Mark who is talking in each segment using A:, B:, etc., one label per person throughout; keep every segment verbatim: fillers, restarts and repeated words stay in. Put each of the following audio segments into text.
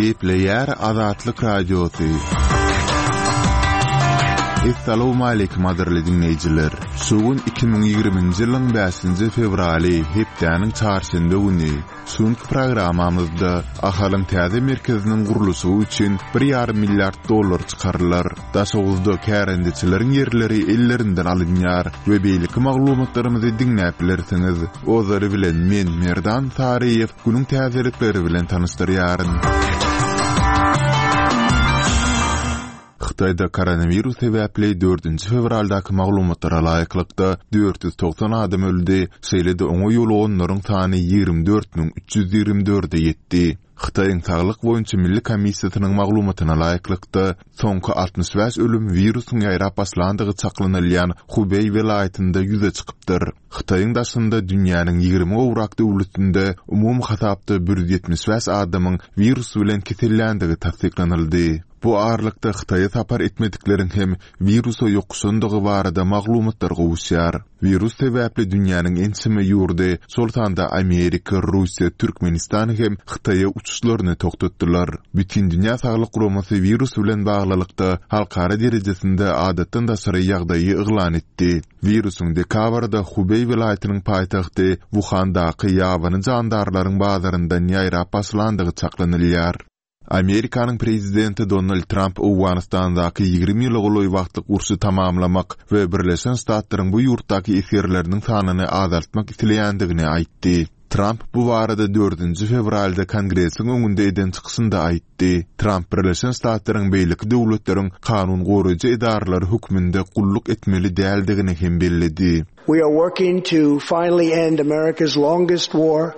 A: Gepleýär Azatlyk Radiosy. Essalawmaleýkim gadyrly diňleýjiler. Şu gün iki müň ýigriminji ýylyň bäşinji fewraly, hepdäniň çarşenbe güni. Şu günki programmamyzda Ahalyň täze merkeziniň gurluşygy üçin bir ýarym milliard dollar çykarylar. Daşoguzda kärendeçileriň ýerleri ellerinden alynýar we beýleki maglumatlarymyzy diňläp bilersiňiz. Ozaly bilen men Merdan Saryýew günüň täzelikleri bilen tanyşdyrýaryn. Hytaýda koronawirus sebäpli dördünji fewraldaky maglumatlara laýyklykda dört ýüz togsan adam öldi, şeýle-de oňa ýoluganlaryň sany ýigrimi dört müň üç ýüz ýigrimi dörde ýetdi. Hytaýyň Saglyk boýunça milli komissiýasynyň maglumatyna laýyklykda, soňky altmyş bäş ölüm wirusyň ýaýrap başlandygy çaklanylýan Hubeý welaýatynda ýüze çykypdyr. Hytaýyň daşynda dünýäniň ýigrimi gowrak döwletinde umumy hasapda bir ýüz ýetmiş bäş adamyň wirus bilen keselländigi tassyklanyldy. Bu aralykda Hytaýa sapar etmedikleriň hem wirusa ýokuşandygy barada maglumatlar gowuşýar. Wirus sebäpli dünýäniň ençeme ýurdy, şol sanda Amerika, Russiýa, Türkmenistan hem Hytaýa uçuşlaryny togtatdylar. Bütindünýä Saglyk Guramasy wirus bilen baglylykda halkara derejesinde adatdan daşary ýagdaýy yglan etdi. Wirusyň dekabrda Hubeý welaýatynyň paýtagty Wuhandaky ýabany jandarlaryň bazaryndan ýaýrap başlandygy çaklanylýar. Amerikanyň prezidenti Donald Tramp Owganystandaky ýigrimi ýyla golaý wagtlyk urşy tamamlamak we Birleşen Ştatlaryň bu ýurtdaky esgerleriniň sanyny azaltmak isleýändigini aýtdy. Tramp bu barada dördünji fewralda Kongresiň öňünde eden çykyşynda aýtdy. Tramp Birleşen Ştatlaryň beýleki döwletleriň kanun goraýjy edaralary hökmünde gulluk etmeli däldigini hem belledi.
B: We are working to finally end America's longest war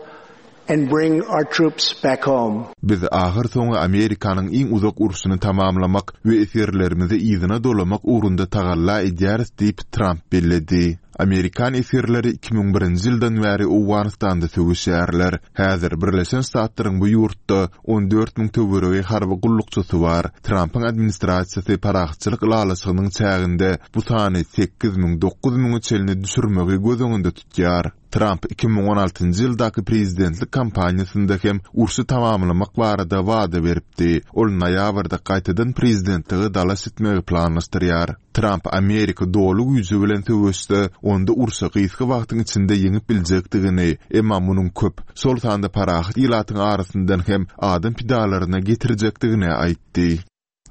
B: and bring our troops back home.
A: Biz ahyrsoňy Amerikanyň iň uzak urşuny tamamlamak we esgerlerimizi yzyna dolamak ugrunda tagalla edýäris diýip, Tramp belledi. Amerikan esgerleri iki müň birinji ýyldan bäri Owganystanda söweşýärler. Häzir Birleşen Ştatlaryň bu ýurtda on dört müň töweregi harby gullukçysy bar. Trampyň administrasiýasy parahatçylyk ylalaşygynyň çäginde bu sany sekiz müň dokuz müňe çenli düşürmegi göz öňünde tutýar. Tramp iki müň on altynjy ýyldaky prezidentlik kampaniýasynda hem urşy tamamlamak barada wada beripdi. Ol noýabrda gaýtadan prezidentlige dalaş etmegi planlaşdyrýar. Tramp Amerika doly güýji bilen söweşse, onda urşy gysga wagtyň içinde ýeňip biljekdigini, emma munuň köp, şol sanda parahat ilatyň arasyndan hem adam pidalaryna getirjekdigini aýtdy.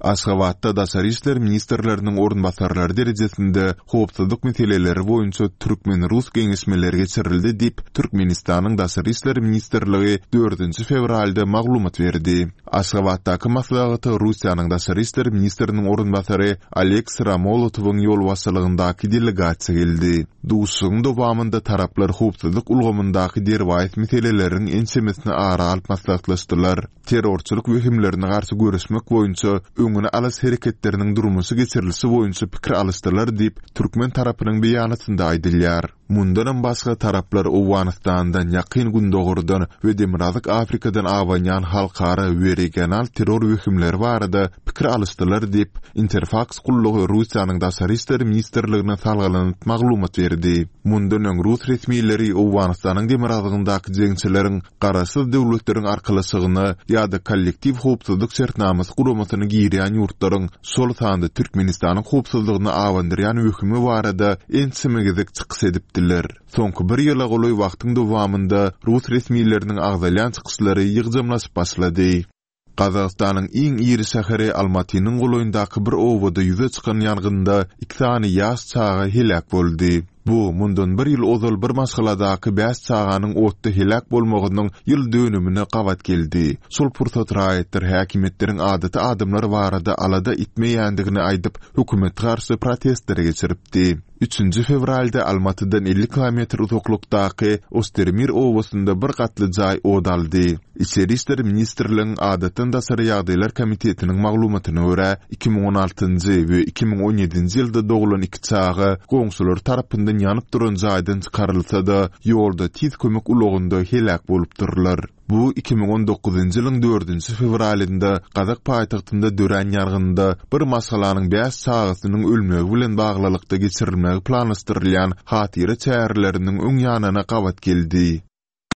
A: Aşgabatda Daşary işler ministrleriniň orunbasarlary derejesinde howpsuzlyk meseleleri boýunça türkmen-rus geňeşmeleri geçirildi diýip, Türkmenistanyň Daşary işler ministrligi dördünji fewralda maglumat berdi. Aşgabatdaky maslahata Russiýanyň Daşary işler ministriniň orunbasary Oleg Syromolotowyň ýolbaşçylygyndaky delegasiýa geldi. Duşuşygyň dowamynda taraplar howpsuzlyk ulgamyndaky derwaýys meseleleriň ençemesini ara alyp maslahatlaşdylar. Terrorçylyk wehimlerine garşy göreşmek boýunça öňüni alyş hereketleriniň durmuşa geçirilişi boýunça pikir alyşdylar diýip, türkmen tarapynyň beýanatynda aýdylýar. Mundanam başga taraplar Owganystandan, Ýakyn Gündogardan we Demirgazyk Afrikadan abanýan halkara we regional terror wehimleri barada pikir alyşdylar diýip, Interfaks gullugy Russiýanyň Daşary işler ministrligine salgylanyp maglumat berdi. Mundan öň rus resmileri Owganystanyň demirgazygyndaky jeňçileriň Garaşsyz Döwletleriň Arkalaşygyna ýa-da Kollektiw howpsuzlyk şertnamasy guramasyna girýän ýurtlaryň, şol sanda Türkmenistanyň howpsuzlygyny abandyrýan wehimi barada ençeme gezek çykyş edipdiler. Soňky bir ýyla golaý wagtyň dowamynda rus resmileriniň agzalýan çykyşlary ýygjamlaşyp başlady. Gazagystanyň iň iri şäheri Almatynyň golaýyndaky bir obada ýüze çykan ýangynda iki sany ýaş çaga heläk boldy. Bu, mundan bir ýyl ozal bir maşgaladaky bäş çaganyň otda heläk bolmagynyň ýyl dönümine gabat geldi. Şol pursat raýatlar häkimiýetleriň adaty adamlar barada alada etmeýändigini aýdyp, hökümete garşy protestleri geçiripdi. Üçünji fewralda Almatydan elli kilometr uzaklykdaky Ostermir obasynda bir gatly jaý ot aldy. Içeri işler ministrligiň Adatdan daşary ýagdaýlar komitetiniň maglumatyna görä, iki müň on altynjy we iki müň on ýedinji ýylda doglan iki çaga goňşulary tarapyndan ýanyp duran jaýdan çykarylsa-da, ýolda tiz kömek ulagynda heläk bolupdyrlar. Bu iki müň on dokuzynjy ýylyň dördünji fewralynda gazak paýtagtynda dörän ýangynda bir maşgalanyň bäş çagasynyň ölmegi bilen baglylykda geçirilmegi planlaşdyrylýan hatyra çäreleriniň öň ýanyna gabat geldi.